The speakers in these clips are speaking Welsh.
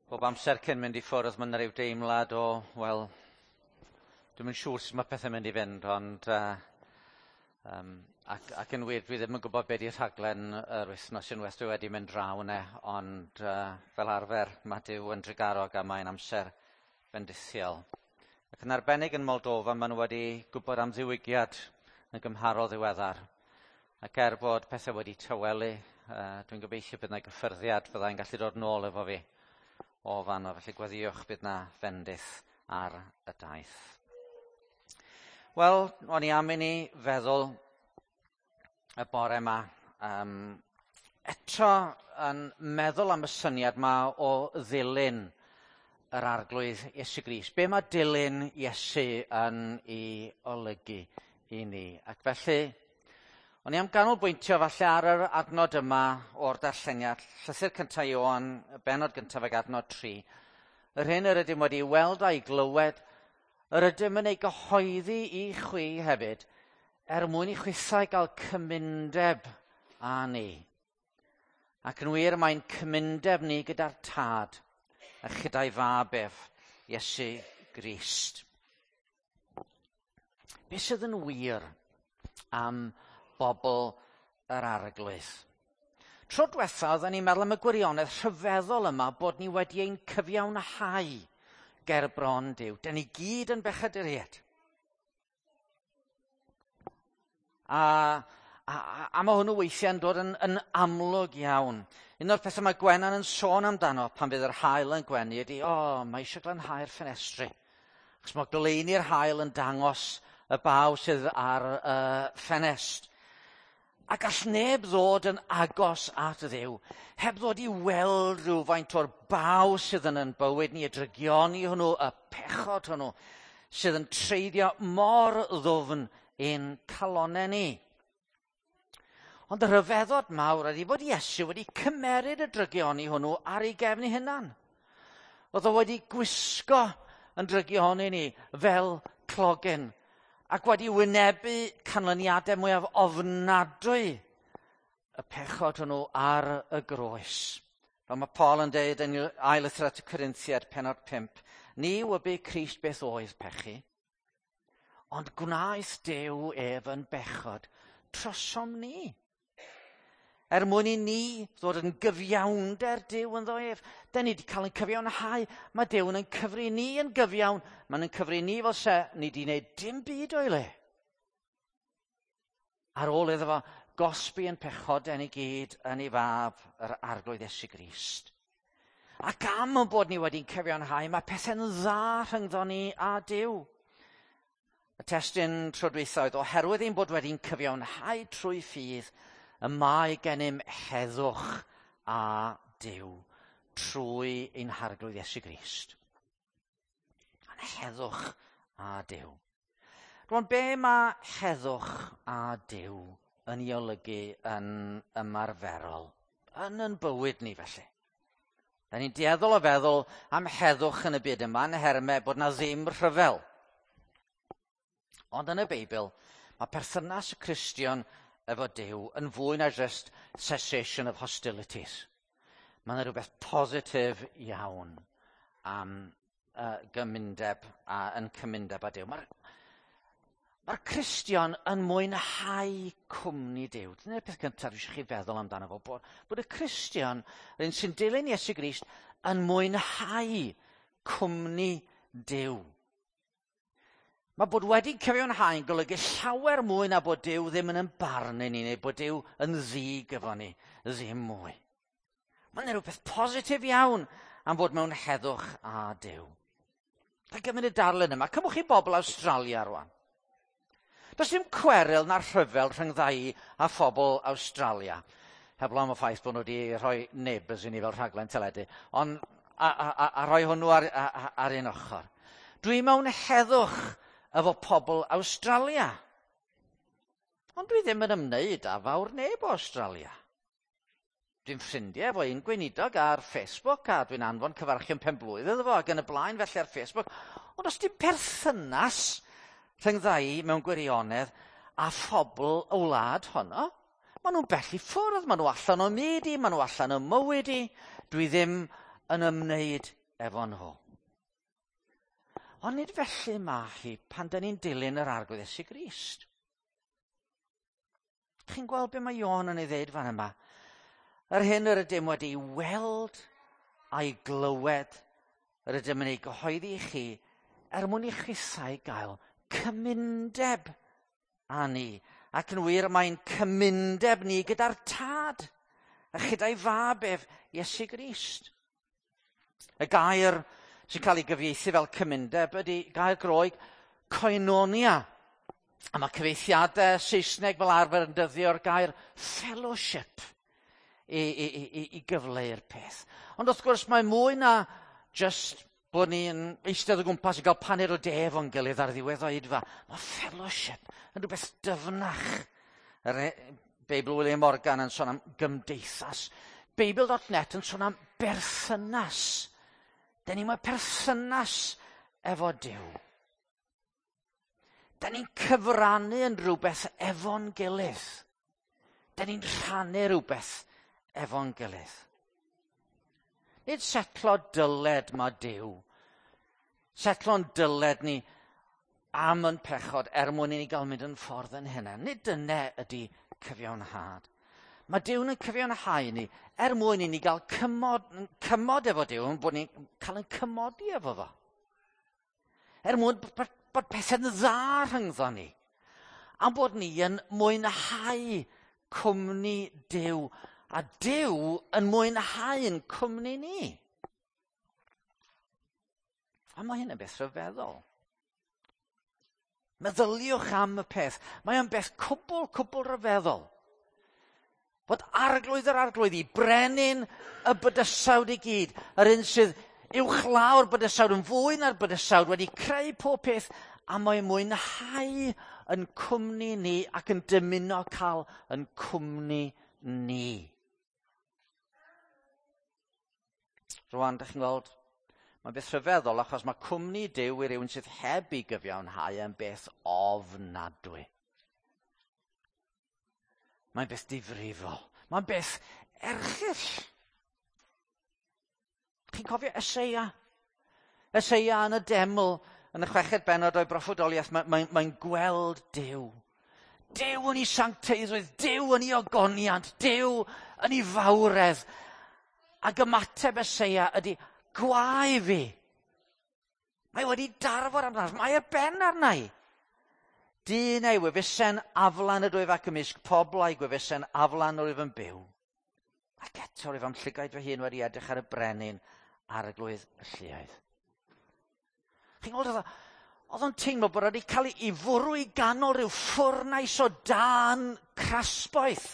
Bob amser cyn mynd i ffwrdd mae yna ryw deimlad o, wel, dwi'm yn siŵr sut mae pethau'n mynd i fynd, ond ac yn wir dwi ddim yn gwybod be' 'di rhaglen yr wythnos unwaith dwi wedi mynd draw yna, ond fel arfer mae Duw yn drugarog a mae'n amser bendithiol. Ac yn arbennig yn Moldova, maen nhw wedi gwybod am ddiwygiad yn gymharol ddiweddar. Ac er bod pethau wedi tawelu, dwi'n gobeithio bydd yna gyffyrddiad fyddai'n gallu dod nôl efo fi o fanno. Felly gweddïwch bydd yna fendith ar y daith. Wel, o'n i am i ni feddwl y bore yma, eto yn meddwl am y syniad yma o ddilyn yr Arglwydd Iesu Grist. Be mae dilyn Iesu yn ei olygu i ni? Ac felly, o'n i am ganolbwyntio falle ar yr adnod yma o'r darlleniad, llythyr cyntaf Ioan, y bennod gyntaf ag adnod 3. Yr hyn yr ydym wedi weld a'i glywed, yr ydym yn ei gyhoeddi i chwi hefyd, er mwyn i chwithau gael cymundeb â ni. Ac yn wir, mae'n cymundeb ni gyda'r Tad a chyda'i fab ef, Iesu Grist. Be sydd yn wir am bobl yr Arglwydd? Tro diwetha, oedden ni'n meddwl am y gwirionedd rhyfeddol yma bod ni wedi ein cyfiawnhau ger bron Duw. Dan ni gyd yn bechaduriaid. A mae hwnnw weithiau'n dod yn amlwg iawn. Un o'r pethau mae Gwenan yn sôn amdano pan fydd yr haul yn gwenu ydy, o, mae eisiau glanhau'r ffenestri. Achos mae goleuni'r haul yn dangos y baw sydd ar y ffenest. A gall neb ddod yn agos at Dduw heb ddod i weld rhywfaint o'r baw sydd yn ein bywyd ni, y drygioni hwnnw, y pechod hwnnw, sydd yn treiddio mor ddwfn ein calonnau ni. Ond y rhyfeddod mawr ydy bod Iesu wedi cymeryd y drygioni hwnnw ar ei gefn ei hunan. Oedd o wedi gwisgo yn drygioni ni fel clogyn ac wedi wynebu canlyniadau mwyaf ofnadwy y pechod hwnnw ar y groes. Fel mae Paul yn deud yn ail lythyr at y Corinthiaid, pennod 5, ni wybu Crist beth oedd pechu, ond gwnaeth Duw ef yn bechod trosom ni. Er mwyn i ni ddod yn gyfiawnder Duw ynddo ef. Da ni wedi cael ein cyfiawnhau. Mae Duw yn cyfri ni yn gyfiawn. Mae'n cyfri ni fel se ni wedi gwneud dim byd o'i le. Ar ôl iddo fo gosbi yn pechodau ni gyd yn ei fab, yr Arglwydd Iesu Grist. Ac am ein bod ni wedi'n cyfiawnhau, mae pethau'n dda rhyngddo ni a Duw. Y testun tro dwytha oedd, oherwydd ein bod wedi'n cyfiawnhau trwy ffydd, y mae gennym heddwch a Duw trwy ein Harglwydd Iesu Grist. A'n heddwch a Duw. Rwan, be mae heddwch a Duw yn ei olygu yn ymarferol? Yn yn bywyd ni felly. Da ni'n dueddol o feddwl am heddwch yn y byd yma yn nhermau bod na ddim rhyfel. Ond yn y Beibl, mae perthynas y Cristion efo Duw yn fwy na just cessation of hostilities. Mae yna rhywbeth positif iawn am gymundeb a yn cymundeb â Duw. Mae'r Cristion yn mwynhau cwmni Duw. Dyna'r peth cyntaf dwi eisiau chi feddwl amdano fo, bod y Cristion, yr un sy'n dilyn Iesu Grist, yn mwynhau cwmni Duw. Mae bod wedi cyfiawnhau yn golygu llawer mwy na bod Duw ddim yn barnu ni, neu bod Duw yn ddig efo ni, ddim mwy. Mae'n rhywbeth positif iawn am fod mewn heddwch â Duw. A gymryd y darlun yma, cymwch chi bobl Awstralia rwan. Does dim cweryl na rhyfel rhyngddau a phobl Awstralia. Heblaw am y ffaith bod nhw wedi rhoi Neighbours i ni fel rhaglen teledu, ond a rhoi hwnnw ar un ochr. Dwi mewn heddwch efo pobl Awstralia. Ond dwi ddim yn ymwneud â fawr neb o Awstralia. Dwi'n ffrindiau efo un gweinidog ar Facebook a dwi'n anfon cyfarchion penblwydd iddo fo ac yn y blaen felly ar Facebook. Ond os dim perthynas rhyngddau mewn gwirionedd a phobl y wlad honno, maen nhw'n bell i ffwrdd, maen nhw allan o myd i, maen nhw allan o mywyd i. Dwi ddim yn ymwneud efo nhw. Ond nid felly mae hi pan dyn ni'n dilyn yr Arglwydd Iesu Grist. Chi'n gweld be mae Ioan yn ei ddeud fan yma? Yr hyn yr ydym wedi weld a'i glywed, yr ydym yn ei gyhoeddi i chi, er mwyn i chithau gael cymundeb â ni. Ac yn wir, mae'n cymundeb ni gyda'r Tad, a chyda'i fab ef, Iesu Grist. Y gair sy'n cael ei gyfieithu fel cymundeb ydy gair Groeg koinonia. A mae cyfieithiadau Saesneg fel arfer yn dyddio'r gair fellowship i gyfleu'r peth. Ond wrth gwrs mae mwy na just bod ni'n eistedd o gwmpas i gael paned o de efo'n gilydd ar ddiwedd oedfa. Mae fellowship yn rhywbeth dyfnach. Yr Beibl William Morgan yn sôn am gymdeithas. Beibl.net yn sôn am berthynas. Da ni mewn perthynas efo Duw. Da ni'n cyfrannu yn rhywbeth efo'n gilydd. Da ni'n rhannu rhywbeth efo'n gilydd. Nid setlo dyled mae Duw. Setlo'n dyled ni am yn pechod er mwyn i ni gael mynd yn ffordd yn hynna. Nid dyna ydy cyfiawnhad. Mae Duw yn cyfiawnhau ni er mwyn i ni gael cymod efo Duw, yn bod ni'n cael yn cymodi efo fo. Er mwyn bod pethau'n dda rhyngddo ni. A bod ni yn mwynhau cwmni Duw. A Duw yn mwynhau'n cwmni ni. A mae hyn yn beth rhyfeddol. Meddyliwch am y peth. Mae o'n beth cwbl, cwbl rhyfeddol. Fod arglwydd yr arglwyddi, brenin y bydysawd i gyd, yr un sydd uwchlaw'r bydysawd yn fwy na'r bydysawd, wedi creu pob peth, a mae'n mwynhau yn cwmni ni ac yn dymuno cael yn cwmni ni. Rwan, dych chi'n gweld, mae'n beth rhyfeddol achos mae cwmni Duw i rywun sydd heb ei gyfiawnhau yn beth ofnadwy. Mae'n beth difrifol. Mae'n beth erchyll. Chi'n cofio Eseia? Eseia yn y deml, yn y chweched bennod o'i broffwydoliaeth, mae'n gweld Duw. Duw yn ei sancteiddrwydd, Duw yn ei ogoniant, Duw yn ei fawredd. Ac ymateb Eseia ydy, gwae fi. Mae wedi darfod arnaf, mae ar ben arna i. Dyn ei wefusen aflan ydwyf ac ymysg pobl a'i gwefusen aflan rwyf yn byw. Ac eto rwyf am llygaid fy hun wedi edrych ar y brenin arglwydd y lluoedd. Chi'n gweld, oedd o'n teimlo bod wedi cael ei fwrw i ganol rhyw ffwrnais o dân crasboeth.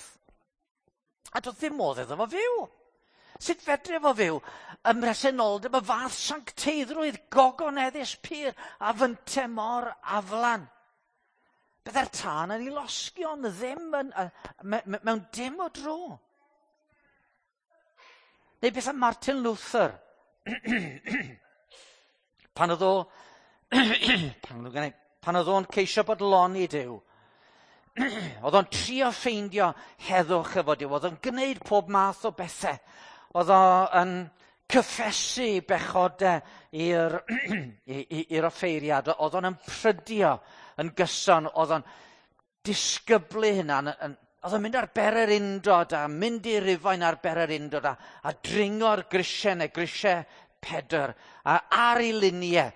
A doedd ddim modd iddo fo fyw. Sut fedri fo fyw ym mhresenoldeb y fath sancteiddrwydd gogoneddus pur a fynte mor aflan? Byddai'r tân yn ei losgi ond ddim yn, mewn dim o dro. Neu beth am Martin Luther? Pan oedd o pan oedd o'n ceisio bodloni Duw, oedd o'n trio ffeindio heddwch efo Duw, oedd o'n gwneud pob math o bethau. Oedd o'n cyffesu bechodau i'r offeiriad, oedd o'n ymprydio yn gyson, oedd o'n disgyblu hynna, oedd o'n mynd ar bererindod a mynd i Rufain ar bererindod a dringo'r grisiau neu grisiau Pedr a ar ei luniau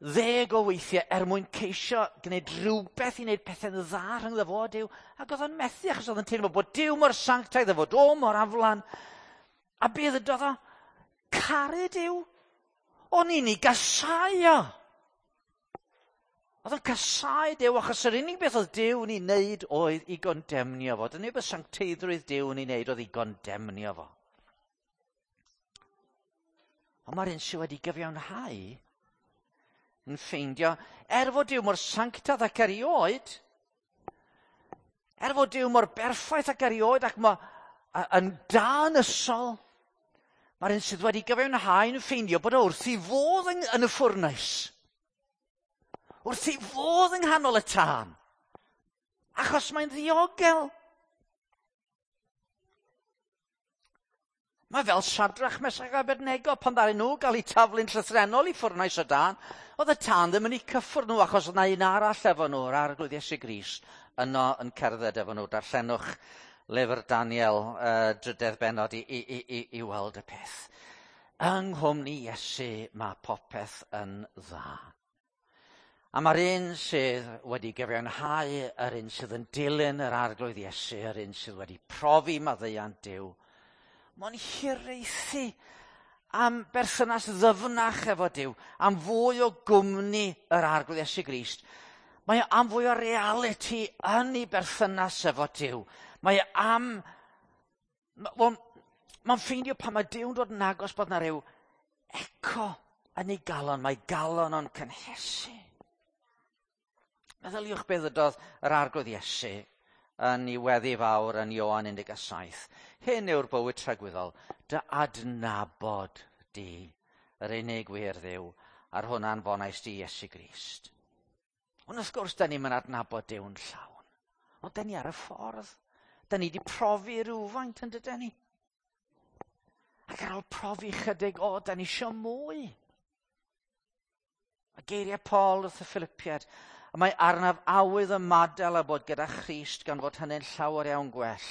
10 o weithiau er mwyn ceisio gwneud rhywbeth i wneud pethau'n dda rhyngddo fo a Duw. Ac oedd o'n methu achos oedd o'n teimlo bod Duw mor sanctaidd a fod o mor aflan. A be ddydodd o? Caru Duw. O'n i'n ei gasau o. Oedd o'n casau Duw achos yr unig beth oedd Duw yn ei wneud oedd i gondemnio fo. Dyna beth sancteiddrwydd Duw yn ei wneud oedd i gondemnio fo. Ond mae'r un sydd wedi gyfiawnhau yn ffeindio, er fod Duw mor sanctaidd ac erioed, er fod Duw mor berffaith ac erioed ac mae yn danysol, mae'r un sydd wedi gyfiawnhau yn ffeindio bod o wrth ei fodd yn y ffwrnais. Wrth ei fodd yng nghanol y tân. Achos mae'n ddiogel. Mae fel Sadrach, Mesach a Abednego pan ddaru nhw gael eu taflu'n llythrennol i ffwrnais o dân. Oedd y tân ddim yn eu cyffwrdd nhw achos oedd 'na un arall efo nhw, yr Arglwydd Iesu Grist, yno yn cerdded efo nhw. Darllenwch lyfr Daniel, drydedd bennod, i weld y peth. Yng nghwmni Iesu mae popeth yn dda. A mae'r un sydd wedi gyfiawnhau, yr un sydd yn dilyn yr Arglwydd Iesu, yr un sydd wedi profi maddeuant Duw, mae'n hiraethu am berthynas ddyfnach efo Duw, am fwy o gwmni yr Arglwydd Iesu Grist. Mae am fwy o realiti yn ei berthynas efo Duw. Mae am... Wel, mae'n ffeindio pan mae Duw'n dod yn agos bod 'na ryw eco yn ei galon. Mae galon o'n cynhesu. Meddyliwch beth ddydodd yr Arglwydd Iesu yn ei weddi fawr yn Ioan 17. Hyn yw'r bywyd tragwyddol, dy adnabod di, yr unig wir Dduw, a'r hwn anfonais di Iesu Grist. Ond wrth gwrs, da ni'm yn adnabod Duw'n llawn. Ond da ni ar y ffordd. Da ni wedi profi rhywfaint yn dydyn ni. Ac ar ôl profi chydig, o, da ni isio mwy. A geiriau Paul wrth y Philippiaid, y mae arnaf awydd ymadael a bod gyda Christ gan fod hynny'n llawer iawn gwell.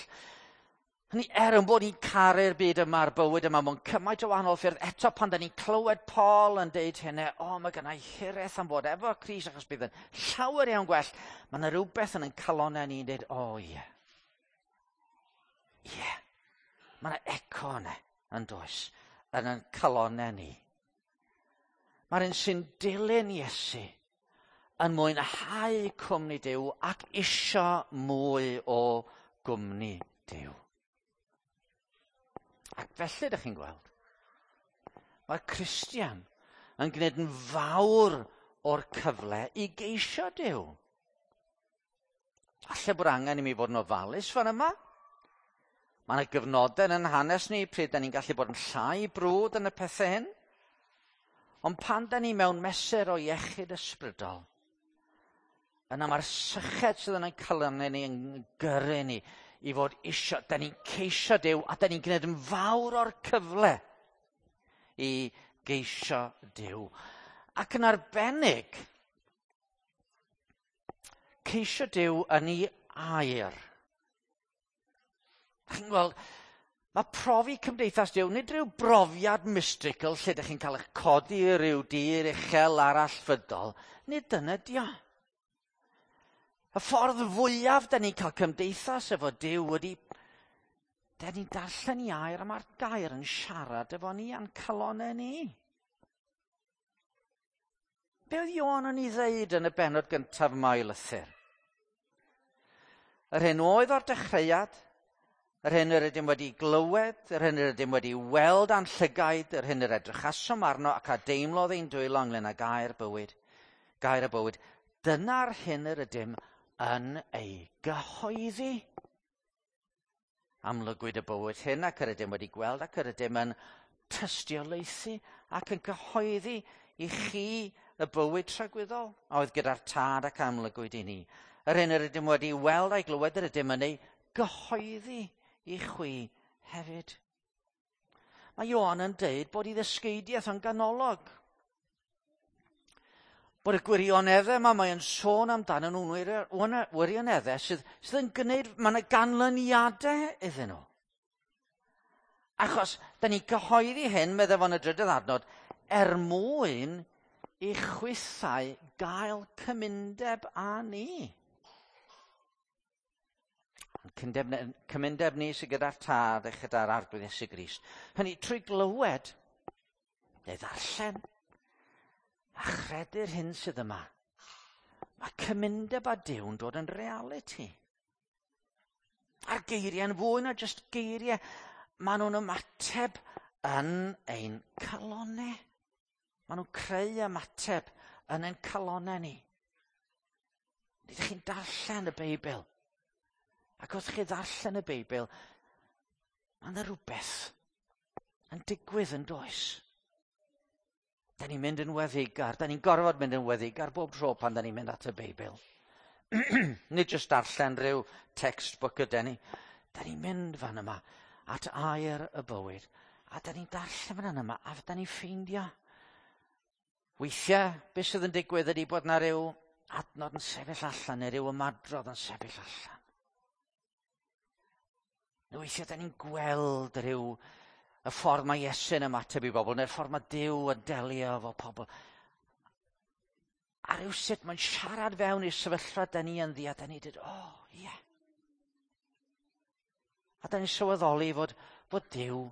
Hynny er yn bod ni'n caru'r byd yma a'r bywyd yma mewn cymaint o wahanol ffyrdd, eto pan da ni'n clywed Paul yn deud hynny, o, mae gynna i hiraeth am fod efo Christ achos bydd yn llawer iawn gwell, mae yna rhywbeth yn ein calonnau ni'n deud, o, ie. Ie. Mae yna eco yna, yn does, yn ein calonnau ni. Mae'r un sy'n dilyn Iesu yn mwynhau cwmni Duw ac isio mwy o gwmni Duw. Ac felly, ydych chi'n gweld, mae'r Cristion yn gwneud yn fawr o'r cyfle i geisio Duw. Alle bod angen i mi fod yn ofalus fan yma. Mae yna gyfnodau yn hanes ni pryd da ni'n gallu bod yn llai brwd yn y pethau hyn. Ond pan da ni mewn mesur o iechyd ysbrydol, yna mae'r syched sydd yn ein calonnau ni yn gyrru ni i fod isio, da ni'n ceisio Duw a da ni'n gwneud yn fawr o'r cyfle i geisio Duw. Ac yn arbennig, ceisio Duw yn ei air. Chi'n gweld, mae profi cymdeithas Duw, nid rhyw brofiad mystical lle ydych chi'n cael eich codi i ryw dir uchel arall fydol, nid dyna dio. Y ffordd fwyaf da ni'n cael cymdeithas efo Duw ydy, da ni'n darllen i air a mae'r gair yn siarad efo ni a'n calonnau ni. Be oedd Ioan yn ei ddeud yn y bennod gyntaf yma o'i lythyr? Yr hyn oedd o'r dechreuad, yr hyn yr ydym wedi glywed, yr hyn yr ydym wedi weld a'n llygaid, yr hyn yr edrychasom arno ac a deimlodd ein dwylo ynglyn â gair bywyd, gair y bywyd, dyna'r hyn yr ydym yn ei gyhoeddi. Amlygwyd y bywyd hyn ac yr ydym wedi gweld ac yr ydym yn tystiolaethu ac yn cyhoeddi i chi y bywyd tragwyddol a oedd gyda'r tad ac amlygwyd i ni. Yr hyn yr ydym wedi weld a'i glywed yr ydym yn ei gyhoeddi i chwi hefyd. Mae Ioan yn deud bod ei ddysgeidiaeth yn ganolog. Bod y gwirioneddau yma mae'n sôn amdano nhw'n wirioneddau sydd yn gwneud, mae yna ganlyniadau iddyn nhw. Achos, da ni'n cyhoeddi hyn, meddai fo'n y drydydd adnod, er mwyn i chwithau gael cymundeb â ni. Cymundeb ni sydd gyda'r Tad a chyda'r Arglwydd Iesu Grist. Hynny, trwy glywed, neu ddarllen, a chredu'r hyn sydd yma, mae cymundeb â Duw'n dod yn realiti. A'r geiriau'n fwy na jyst geiriau, maen nhw'n ymateb yn ein calonnau. Maen nhw'n creu ymateb yn ein calonnau ni. Nid ydych chi'n darllen y Beibl. Ac wrth chi ddarllen y Beibl, mae yna rhywbeth yn digwydd yn does. Da ni'n mynd yn weddigar, da ni'n gorfod mynd yn weddigar bob tro pan da ni'n mynd at y Beibl. Nid jyst darllen rhyw textbook ydy ni. Da ni'n mynd fan yma at air y bywyd. A da ni'n darllen fan yma, a da ni'n ffeindio. Weithiau, beth sydd yn digwydd ydy bod na ryw adnod yn sefyll allan, neu ryw ymadrodd yn sefyll allan. Neu weithiau, da ni'n gweld rhyw y ffordd mae Iesu'n ymateb i bobl, neu'r ffordd mae Duw yn delio efo pobl. A rhywsut mae'n siarad fewn i'r sefyllfa da ni ynddi, a da ni dweud, o, oh, ie. Yeah. A da ni'n sylweddoli fod Duw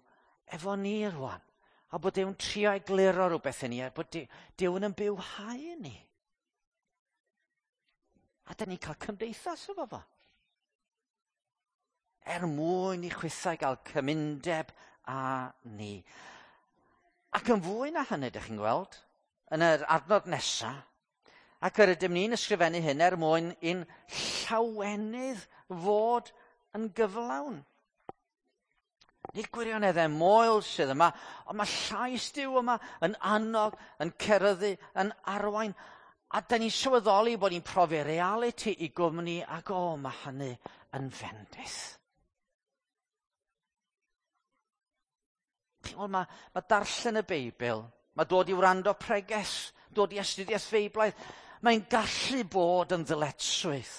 efo ni rwan. A bod Duw'n trio egluro rhywbeth i ni, a bod Duw yn bywhau ni. A da ni'n cael cymdeithas efo fo. Er mwyn i chwithau gael cymundeb â ni. Ac yn fwy na hynny, ydych chi'n gweld, yn yr adnod nesaf, ac yr ydym ni'n ysgrifennu hyn er mwyn i'n llawenydd fod yn gyflawn. Nid gwirioneddau moel sydd yma, ond mae llais Duw yma yn annog, yn ceryddu, yn arwain. A da ni'n sylweddoli bod ni'n profi realiti i gwmni, ac o, mae hynny yn fendith. Chi'n gweld, mae darllen y Beibl, mae dod i wrando preges, dod i astudiaeth Feiblaidd, mae'n gallu bod yn ddyletswydd.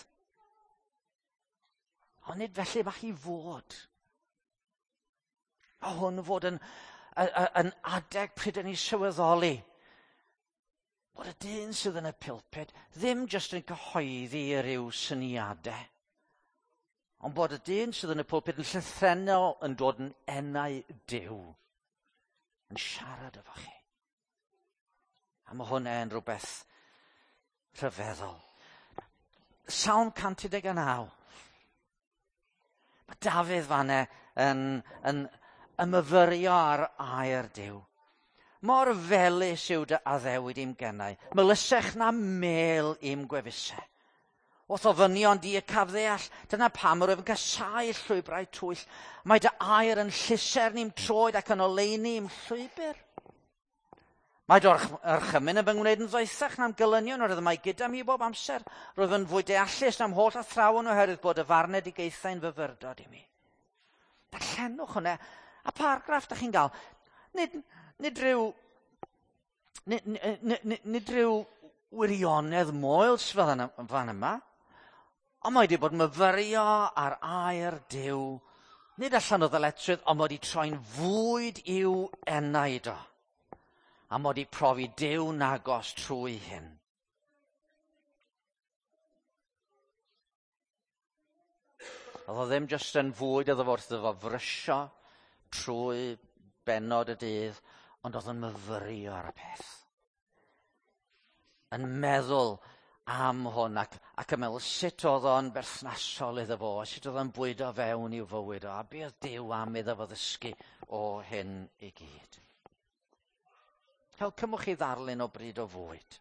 Ond nid felly mae hi fod. A hwn fod yn adeg pryd yn ei sylweddoli bod y dyn sydd yn y pulpit ddim jyst yn cyhoeddi rhyw syniadau, ond bod y dyn sydd yn y pulpit yn llythrennol yn dod yn enau Duw, yn siarad efo chi. A mae hwnna yn rhywbeth rhyfeddol. Salm 119. Mae Dafydd fanne yn ymyfyrio ar air Duw. Mor felys yw dy addewid i'm gennau, melysech na mel i'm gwefusau. Wrth ofynion di y caf ddeall, dyna pam yr wyf yn casáu llwybrau twyll. Mae dy air yn llusern i'm troed ac yn oleuni i'm llwybr. Mae dy orchymyn yn fy ngwneud yn ddoethach na'm gelynion, oherwydd mae gyda mi bob amser. Rwyf yn fwy deallus na'm holl athrawon oherwydd bod y farnedigaethau'n fyfyrdod i mi. Darllenwch hwnna, a paragraff da chi'n gael. Nid rhyw wirionedd moel sydd fan yma, ond mae wedi bod myfyrio ar air Duw, nid allan o ddyletswydd, ond mae wedi troi'n fwyd i'w enaid o. A mae wedi profi Duw nagos trwy hyn. Oedd o ddim jyst yn fwyd iddo fo wrth iddo fo frysio trwy bennod y dydd, ond oedd yn myfyrio ar y peth. Yn meddwl am hwn ac yn meddwl sut oedd o'n berthnasol iddo fo, sut oedd o'n bwydo fewn i'w fywyd o, a be oedd Duw am iddo fo ddysgu o hyn i gyd. Fel cymwch chi ddarlun o bryd o fwyd.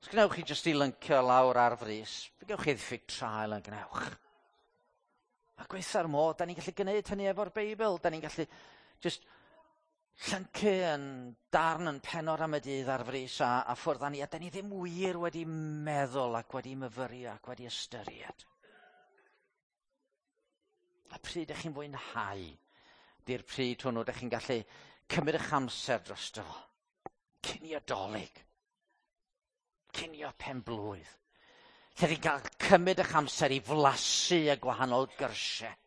Os gwnewch chi jyst i lyncio lawr ar frys, fe gewch chi ddiffyg trael yn gwnewch. A gweitha'r modd, da ni'n gallu gwneud hynny efo'r Beibl. Da ni'n gallu jyst llyncu yn darn yn pennod am y dydd ar frys a ffwrdd â ni. A da ni ddim wir wedi meddwl ac wedi myfyrio ac wedi ystyried. A pryd ydych chi'n fwynhau, di'r pryd hwnnw ydych chi'n gallu cymryd eich amser drosto fo. Cinio Dolig. Cinio penblwydd. Lle chi'n cael cymryd eich amser i flasu y gwahanol gyrsiau.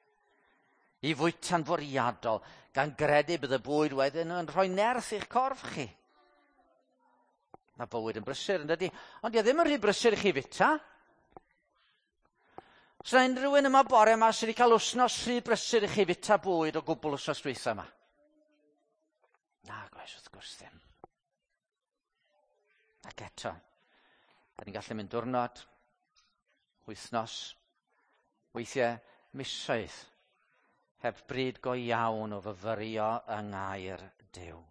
I fwyta'n fwriadol, gan gredu bydd y bwyd wedyn yn rhoi nerth i'ch corff chi. Mae bywyd yn brysur, yn dydi? Ond di o ddim yn rhy brysur i chi fwyta. Os yna unrhyw un yma bore yma sydd wedi cael wythnos rhy brysur i chi fwyta bwyd o gwbl wythnos dwytha yma? Na, gwaes, wrth gwrs ddim. Ac eto, da ni'n gallu mynd diwrnod, wythnos, weithiau misoedd, heb bryd go iawn o fyfyrio yng ngair Duw.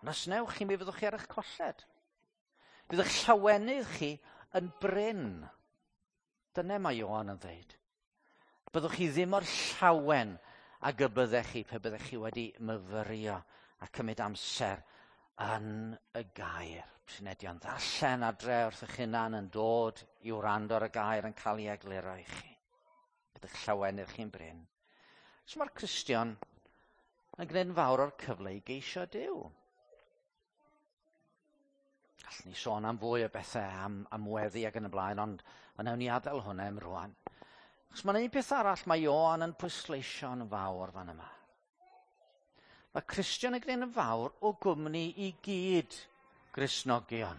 Ond os newch chi, mi fyddwch chi ar eich colled. Fydd eich llawenydd chi yn brin. Dyna mae Ioan yn dweud. Byddwch chi ddim o'r llawen ag y byddech chi pe byddech chi wedi myfyrio a cymryd amser yn y gair. Prynedion ddarllen adre wrth eich hunan yn dod i wrando ar y gair yn cael ei egluro i chi. Bydd eich llawenydd chi'n brin. So mae'r Cristion yn gwneud yn fawr o'r cyfle i geisio Duw. Gallwn ni sôn am fwy o bethau, am weddi ac yn y blaen, ond wnawn ni adael hwnna am rwan. Achos mae'n un peth arall mae Ioan yn pwysleisio'n fawr fan yma. Mae Cristion yn gwneud yn fawr o gwmni i gyd Gristnogion.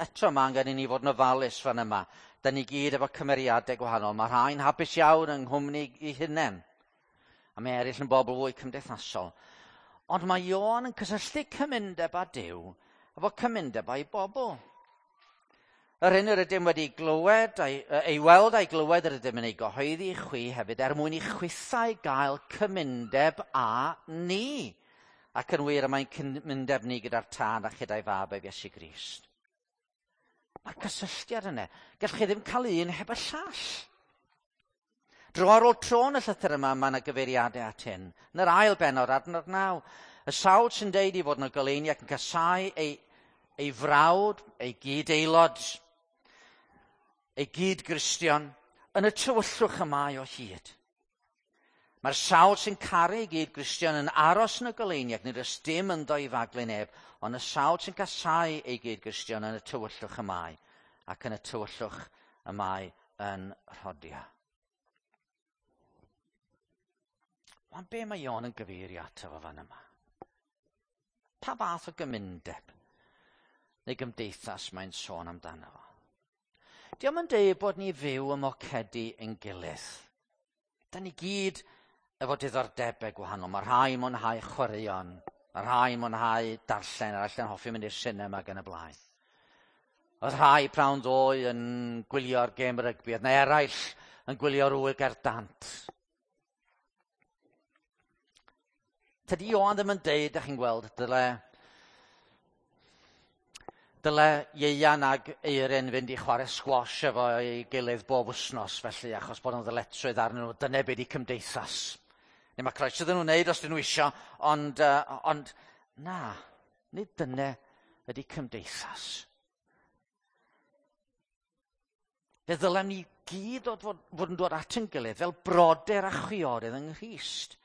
Eto mae angen i ni fod yn ofalus fan yma. Da ni gyd efo cymeriadau gwahanol. Mae rhai'n hapus iawn yng nghwmni i hunain. A mae eraill yn bobl fwy cymdeithasol. Ond mae Ioan yn cysylltu cymundeb â Duw efo cymundeb â'i bobl. Yr hyn yr ydym wedi glywed, ei weld a'i glywed yr ydym yn ei gyhoeddi i chwi hefyd er mwyn i chwithau gael cymundeb â ni. Ac yn wir y mae'n cymundeb ni gyda'r Tad a chyda'i fab ef Iesu Grist. Mae'r cysylltiad yna. Gallwch chi ddim cael un heb y llall. Dro ar ôl tro yn y llythyr yma, mae yna gyfeiriadau at hyn. Yn yr ail bennod, adnod 9, y sawl sy'n deud i fod yn y goleuni ac yn casáu ei frawd, ei gyd-aelod, ei gyd-Gristion, yn y tywyllwch y mae o hyd. Mae'r sawl sy'n caru ei gyd-Gristion yn aros yn y goleuni ac nid oes dim ynddo i faglu neb, ond y sawl sy'n casáu ei gyd-Gristion yn y tywyllwch y mae, ac yn y tywyllwch y mae yn rhodio. Ond be mae Ioan yn gyfeirio ato fo fan yma? Pa fath o gymundeb neu gymdeithas mae'n sôn amdano fo? Dio'm yn deud bod ni fyw ym mocedi ein gilydd. Da ni gyd efo diddordebau gwahanol. Mae rhai mwynhau chwaraeon, mae rhai mwynhau darllen, eraill yn hoffi mynd i'r sinema ac yn y blaen. Oedd rhai prawn ddoe yn gwylio'r gêm rygbi, oedd 'na eraill yn gwylio'r ŵyl gerdd dant. Tydi Ioan ddim yn deud, da chi'n gweld, dyle Ieuan ag Eirin fynd i chwarae sgwash efo ei gilydd bob wythnos, felly, achos bod nhw'n ddyletswydd arnyn nhw, dyna be di cymdeithas. Neu mae croeso iddyn nhw wneud os dyn nhw isio, ond na, nid dyna ydy cymdeithas. Fe ddylem ni gyd fod yn dod at ein gilydd fel brodyr a chwiorydd yng Nghrist,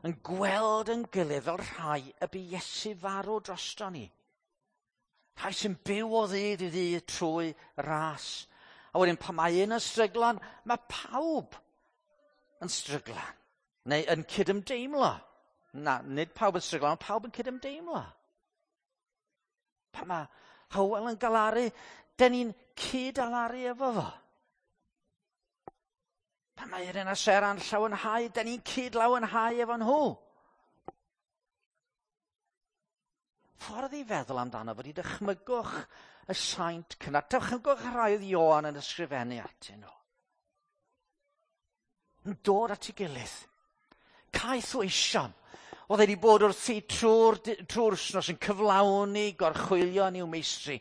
yn gweld yn gilydd fel rhai y bu Iesu farw drosto ni. Rhai sy'n byw o ddydd i ddydd trwy ras. A wedyn pan mae un yn stryglan, mae pawb yn stryglan. Neu yn cydymdeimlo. Na, nid pawb yn stryglan, ond pawb yn cydymdeimlo. Pan mae Hywel yn galaru, dyn ni'n cyd-alaru efo fo. Pan mae Irene a Sera'n llawenhau, dyn ni'n cyd-lawenhau efo nhw. Ffordd i feddwl amdano fod i dychmygwch y saint cynnar. Dychmygwch y rhai oedd Ioan yn ysgrifennu atyn nhw. Yn dod at ei gilydd. Caeth weision. Oedd wedi bod wrthi trwy'r wythnos yn cyflawni gorchwylion i'w meistri.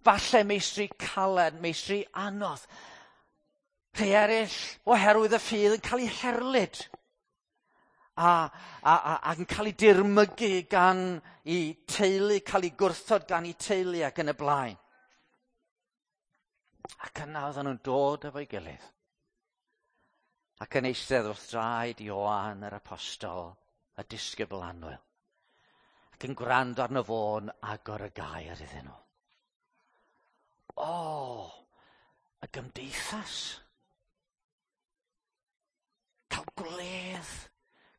Falle meistri caled, meistri anodd. Rhai eraill, oherwydd y ffydd, yn cael eu herlid. A yn cael eu dirmygu gan eu teulu, cael eu gwrthod gan eu teulu ac yn y blaen. Ac yna oedden nhw'n dod efo'i gilydd. Ac yn eistedd wrth draed Ioan yr apostol, y disgybl annwyl. Ac yn gwrando arno fo'n agor y gair iddyn nhw. O, y gymdeithas. Cael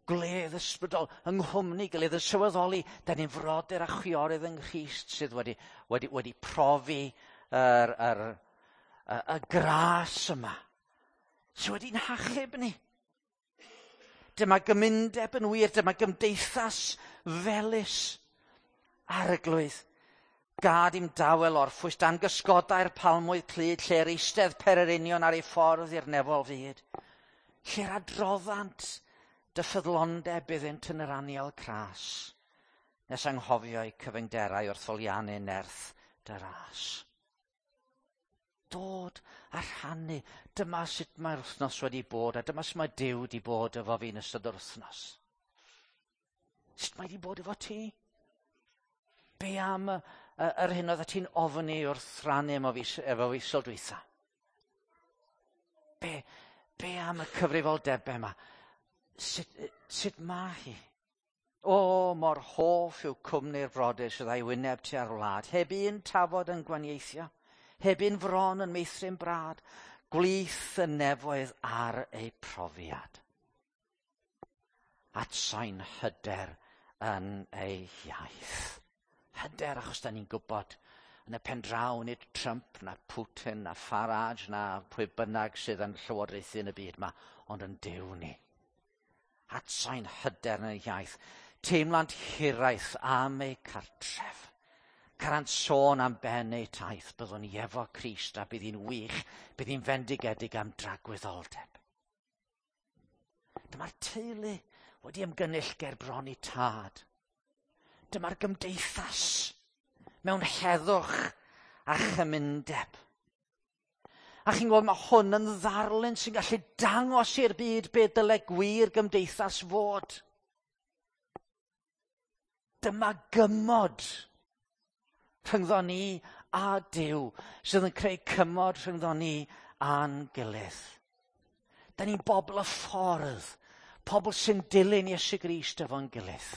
gwledd ysbrydol yng nghwmni gilydd, yn sylweddoli, da ni'n frodyr a chwiorydd yng Nghrist sydd wedi profi y gras yma, sydd wedi'n hachub ni. Dyma gymundeb yn wir, dyma gymdeithas felys Arglwydd. Gad i'm dawel orffwys dan gysgodau'r palmwydd clyd, lle'r eistedd pererinion ar ei ffordd i'r nefol fyd. Lle'r adroddant dy ffyddlondeb iddynt yn yr anial cras, nes anghofio eu cyfyngderau wrth foliannu nerth dy ras. Dod a rhannu. Dyma sut mae'r wythnos wedi bod, a dyma sut mae Duw wedi bod efo fi yn ystod yr wythnos. Sut mae wedi bod efo ti? Be am yr hyn oedd ti'n ofni wrth rannu efo fi sul dwytha? Be am y cyfrifoldebau yma? Sut mae hi? O, mor hoff yw cwmni'r brodyr sydd â'i wyneb tua'r wlad, heb un tafod yn gwaniaethio, heb un fron yn meithrin brad, gwlith y nefoedd ar eu profiad. Atsain hyder yn ei iaith. Hyder achos da ni'n gwybod yn y pen draw nid Trump na Putin na Farage na pwy bynnag sydd yn llywodraethu yn y byd yma, ond yn Duw ni. Atsain hyder yn ei iaith. Teimlant hiraeth am eu cartref. Carant sôn am ben eu taith. Byddwn ni efo Crist a bydd hi'n wych, bydd hi'n fendigedig am dragwyddoldeb. Dyma'r teulu wedi ymgynnull ger bron i tad. Dyma'r gymdeithas mewn heddwch a chymundeb. A chi'n gweld, mae hwn yn ddarlun sy'n gallu dangos i'r byd be dyle gwir gymdeithas fod. Dyma gymod rhyngddo ni a Duw sydd yn creu cymod rhyngddo ni a'n gilydd. Da ni'n bobl y ffordd, pobl sy'n dilyn Iesu Grist efo'n gilydd.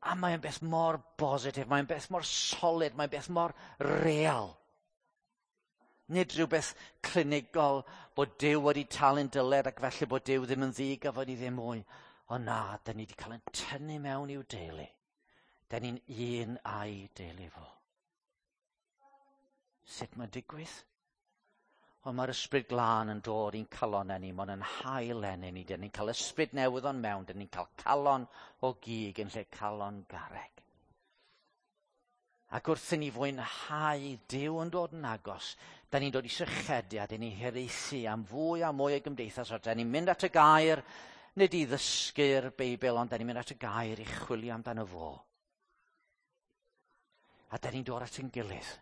A mae'n beth mor bositif, mae'n beth mor solid, mae'n beth mor real. Nid rhywbeth clinigol bod Duw wedi talu'n dyled ac felly bod Duw ddim yn ddig a fod ni ddim mwy. Ond na, da ni wedi cael ein tynnu mewn i'w deulu. Da ni'n un a'i deulu fo. Sut mae'n digwydd? Wel, mae'r ysbryd glân yn dod i'n calonau ni, mae'n yn hael enni ni. Dyn ni'n cael ysbryd newydd o'n mewn, dyn ni'n cael calon o gig yn lle calon garreg. Ac wrth i ni fwynhau Duw yn dod yn agos, da ni'n dod i sychedu a dyn ni'n hiraethu am fwy a mwy o gymdeithas. A da ni'n mynd at y gair, nid i ddysgu'r Beibl, ond da ni'n mynd at y gair i chwilio amdano fo. A da ni'n dod at ein gilydd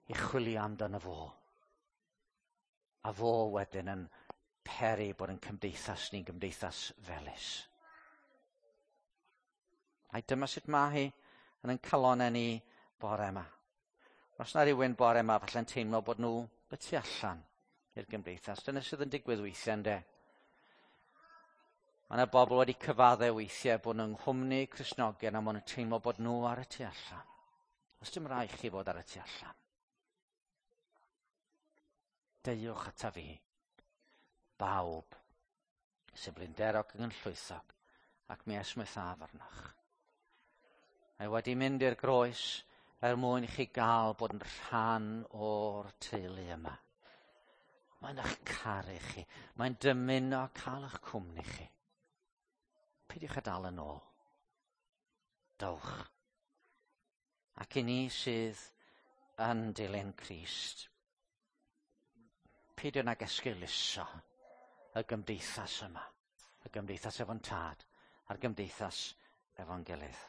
i chwilio amdano fo. A fo wedyn yn peri bod yn cymdeithas ni'n gymdeithas felys. Ai dyma sut mae hi yn ein calonau ni bore yma. Os na rhywun bore yma falle'n teimlo bod nhw y tu allan i'r gymdeithas. Dyna sydd yn digwydd weithiau, yndê? Mae yna bobl wedi cyfadde weithiau bod nhw'n nghwmni Cristnogion a maen nhw'n teimlo bod nhw ar y tu allan. Os dim rhaid chi fod ar y tu allan. Deuwch ata fi, bawb sy'n blinderog ac yn llwythog, ac mi esmwythaf arnoch. Mae wedi mynd i'r groes er mwyn i chi gael bod yn rhan o'r teulu yma. Mae'n eich caru chi. Mae'n dymuno cael eich cwmni chi. Peidiwch â dal yn ôl. Dowch. Ac i ni sydd yn dilyn Crist, peidio nag esgeuluso y gymdeithas yma. Y gymdeithas efo'n tad a'r gymdeithas efo'n gilydd.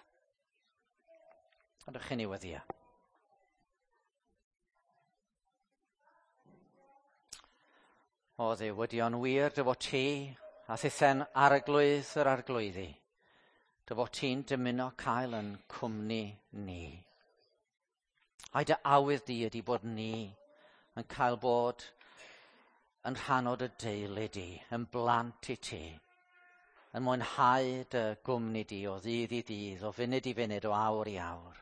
Ydych chi'n ei weddio? O Dduw, ydy o'n wir dy fod ti a thithen arglwydd yr arglwyddi, dy fod ti'n dymuno cael yn cwmni ni. Ai dy awydd di ydy bod ni yn cael bod yn rhan o dy deulu di, yn blant i ti, yn mwynhau dy gwmni di o ddydd i ddydd, o funud i funud, o awr i awr.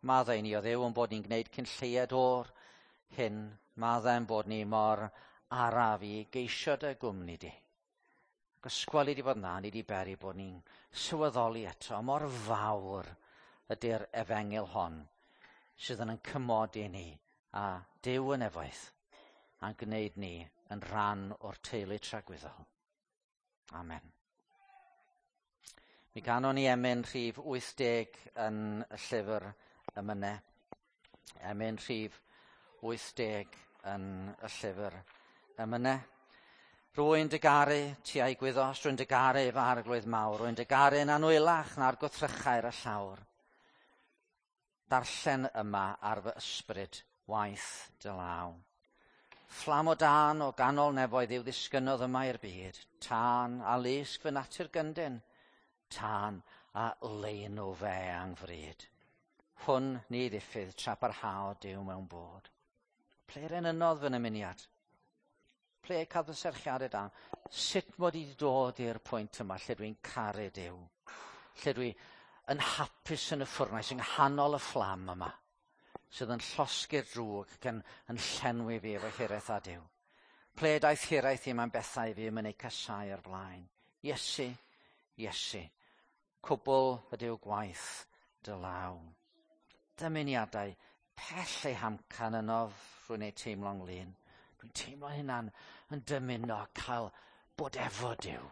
Maddau ni o Dduw yn bod ni'n gwneud cyn lleied o'r hyn. Maddau yn bod ni mor araf i geisio dy gwmni di. Ac ysgweli di fod na, ni di beri bod ni'n sylweddoli eto mor fawr ydy'r efengyl hon sydd yn cymodi ni a Duw yn efoedd a'n gwneud ni yn rhan o'r teulu tragwyddol. Amen. Mi ganon ni emyn rhif 80 yn y llyfr emynau. Emyn rhif 80 yn y llyfr emynau. Rwy'n dy garu, ti a'i gwyddos, rwy'n dy garu fy arglwydd mawr, rwy'n dy garu yn anwylach na'r gwrthrychau ar y llawr. Darllen yma ar fy ysbryd waith dy law. Fflam o dân o ganol nefoedd yw ddisgynnodd yma i'r byd, tân a lusg fy natur gyndyn, tân a leinw fe angfryd. Hwn ni ddiffydd tra parhao Duw mewn bod. Ple enynnodd fy nymuniad? Ple cael fy serchiadau da? Sut mod i wedi dod i'r pwynt yma lle dwi'n caru Duw? Lle dwi yn hapus yn y ffwrnais, yng nghanol y fflam yma, sydd yn llosgi'r drwg ac yn llenwi fi efo hiraeth a Duw. Ple daeth hiraeth i mewn bethau fi yn eu casau o'r blaen. Iesu, Iesu, cwbl ydyw gwaith dy law. Dymuniadau pell eu hamcan yno rwy'n ei teimlo'n lun. Dwi'n teimlo hynna'n yn dymuno cael bod efo Duw.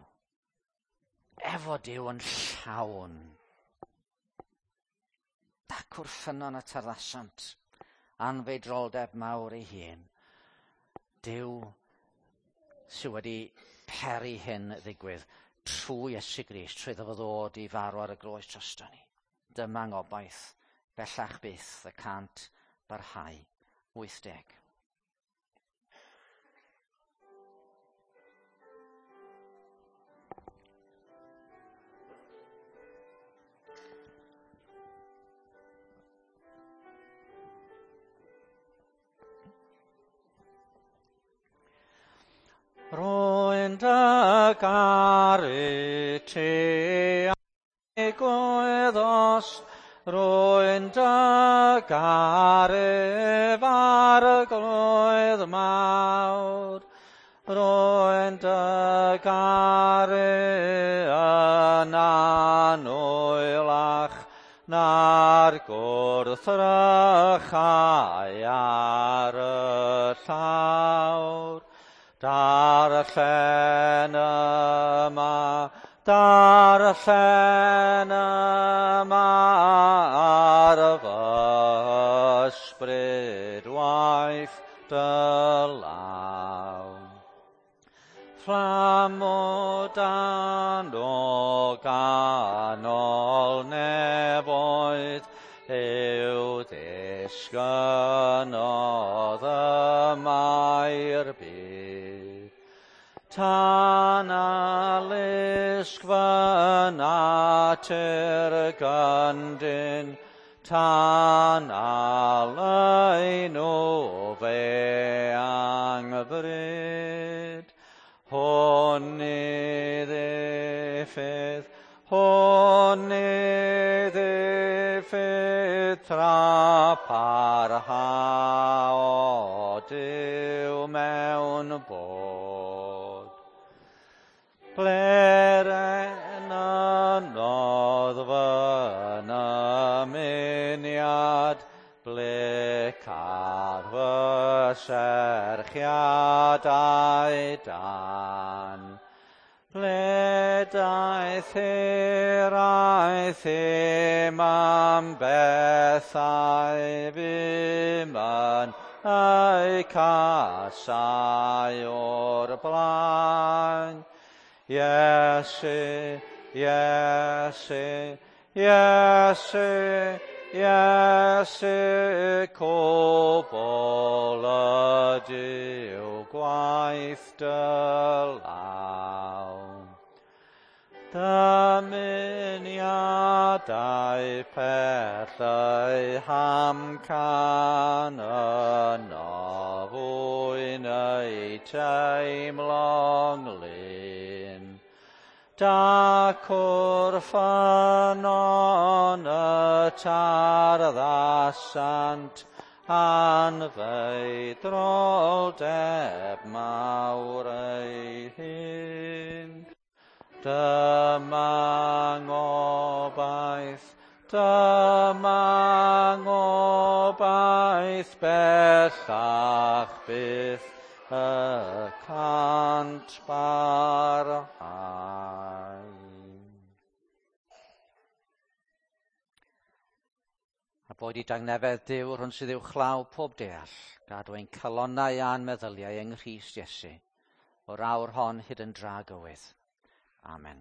Efo Duw yn llawn. Dacw'r ffynnon y tarddasant, anfeidroldeb mawr ei hun. Duw sydd wedi peri hyn ddigwydd trwy Iesu Grist, trwy iddo fo ddod i farw ar y groes drosto ni. Dyma ngobaith, bellach byth, y cant barhau. 80. Rwy'n dy garu ti a'i gwyddost, rwy'n dy garu farglwydd mawr. Rwy'n dy garu yn anwylach na'r gwrthrychau ar y llawr. Darllen yma ar fy ysbryd waith dy law. Fflam o dan o ganol nefoedd yw disgynnodd yma i'r byd. Tan a lusg fy natur gyndyn, tan a leinw fe angbryd. Hwn i ddiffydd, tra parhao Duw mewn bod. Ble'r enynnodd fy nymuniad, ble car fy serchiadau dan. Ble daeth hiraeth im am bethau fum yn eu casau o'r blaen. Iesu, Iesu, Iesu, Iesu, cwbl ydyw gwaith dy law. Dymuniadau pell eu hamcan yno fwyn eu teimlo'n glin. Dacw'r ffynnon y tarddasant anfeidroldeb mawr ei hun. Dyma ngobaith bellach byth y cant barhau. A boed i dangnefedd Duw rhwng sydd uwchlaw pob deall, gadw ein calonnau a'n meddyliau yng Nghrist Iesu, o'r awr hon hyd yn dragywydd. Amen.